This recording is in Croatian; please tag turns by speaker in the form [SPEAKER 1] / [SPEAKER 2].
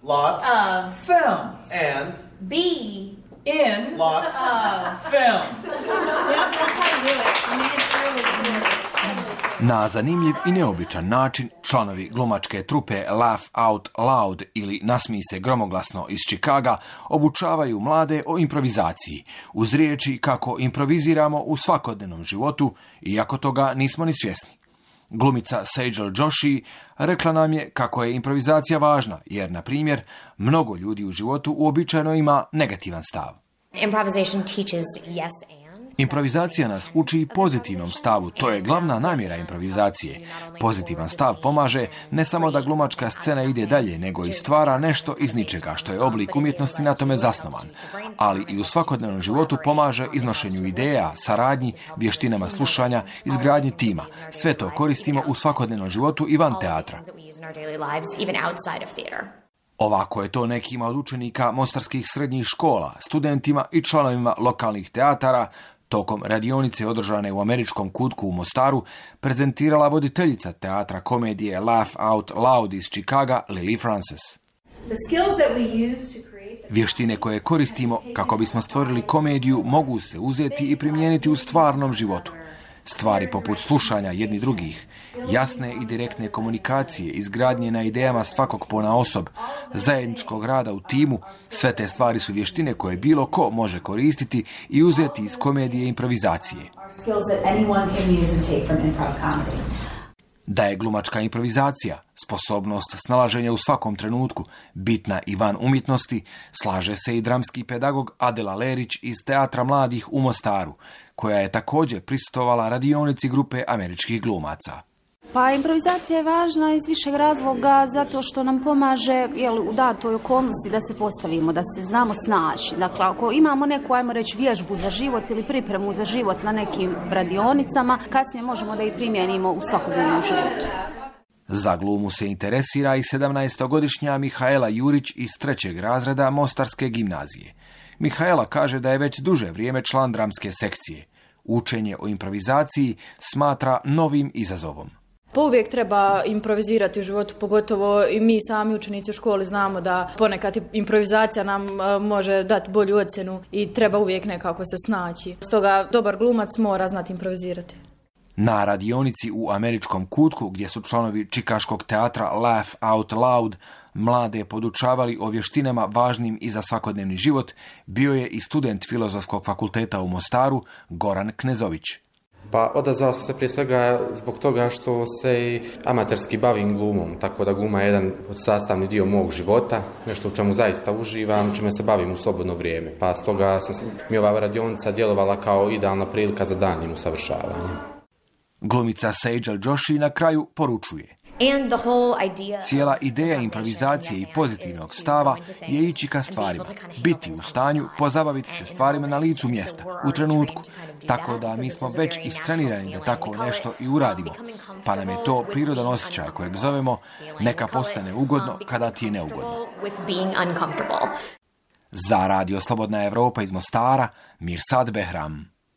[SPEAKER 1] lots
[SPEAKER 2] of
[SPEAKER 3] films
[SPEAKER 1] and
[SPEAKER 2] be
[SPEAKER 3] in
[SPEAKER 1] lots
[SPEAKER 2] of
[SPEAKER 3] films.
[SPEAKER 4] Yeah, that's how you do it. I mean, it's really
[SPEAKER 5] Na zanimljiv i neobičan način članovi glumačke trupe Laugh Out Loud ili Nasmij se gromoglasno iz Chicaga obučavaju mlade o improvizaciji uz riječi kako improviziramo u svakodnevnom životu, iako toga nismo ni svjesni. Glumica Sejal Joshi rekla nam je kako je improvizacija važna, jer, na primjer, mnogo ljudi u životu uobičajeno ima negativan stav.
[SPEAKER 6] Improvisation teaches yes and.
[SPEAKER 5] Improvizacija nas uči pozitivnom stavu, to je glavna namjera improvizacije. Pozitivan stav pomaže ne samo da glumačka scena ide dalje, nego i stvara nešto iz ničega, što je oblik umjetnosti na tome zasnovan. Ali i u svakodnevnom životu pomaže iznošenju ideja, saradnji, vještinama slušanja, izgradnji tima. Sve to koristimo u svakodnevnom životu i van teatra. Ovako je to nekima od učenika mostarskih srednjih škola, studentima i članovima lokalnih teatara tokom radionice održane u Američkom kutku u Mostaru prezentirala voditeljica teatra komedije Laugh Out Loud iz Chicaga, Lily Frances. Vještine koje koristimo kako bismo stvorili komediju mogu se uzeti i primijeniti u stvarnom životu. Stvari poput slušanja jedni drugih, jasne i direktne komunikacije, izgradnje na idejama svakog ponaosob, zajedničkog rada u timu, sve te stvari su vještine koje bilo ko može koristiti i uzeti iz komedije i improvizacije. Da je glumačka improvizacija, sposobnost snalaženja u svakom trenutku, bitna i van umjetnosti, slaže se i dramski pedagog Adela Lerić iz Teatra mladih u Mostaru, koja je također prisustvovala radionici grupe američkih glumaca.
[SPEAKER 7] Pa improvizacija je važna iz višeg razloga zato što nam pomaže u datoj okolnosti da se postavimo, da se znamo snaći. Dakle, ako imamo neku, ajmo reći, vježbu za život ili pripremu za život na nekim radionicama, kasnije možemo da i primijenimo u svakodnevnom životu.
[SPEAKER 5] Za glumu se interesira i 17-godišnja Mihaela Jurić iz 3. razreda Mostarske gimnazije. Mihaela kaže da je već duže vrijeme član dramske sekcije. Učenje o improvizaciji smatra novim izazovom.
[SPEAKER 4] Pa uvijek treba improvizirati u životu, pogotovo i mi sami učenici u školi znamo da ponekad improvizacija nam može dati bolju ocjenu i treba uvijek nekako se snaći. Stoga dobar glumac mora znati improvizirati.
[SPEAKER 5] Na radionici u Američkom kutku, gdje su članovi čikaškog teatra Laugh Out Loud mlade podučavali o vještinama važnim i za svakodnevni život, bio je i student Filozofskog fakulteta u Mostaru, Goran Knezović.
[SPEAKER 8] Pa odazvao sam se prije svega zbog toga što se i amaterski bavim glumom, tako da gluma je jedan sastavni dio mog života, nešto u čemu zaista uživam, čime se bavim u slobodno vrijeme. Pa stoga mi ova radionica djelovala kao idealna prilika za daljnjim usavršavanjem.
[SPEAKER 5] Glumica Sejal Joshi na kraju poručuje. Cijela ideja improvizacije i pozitivnog stava je ići ka stvarima, biti u stanju pozabaviti se stvarima na licu mjesta, u trenutku, tako da mi smo već istrenirani da tako nešto i uradimo, pa nam je to prirodan osjećaj kojeg zovemo neka postane ugodno kada ti je neugodno. Za Radio Slobodna Evropa iz Mostara, Mirsad Behram.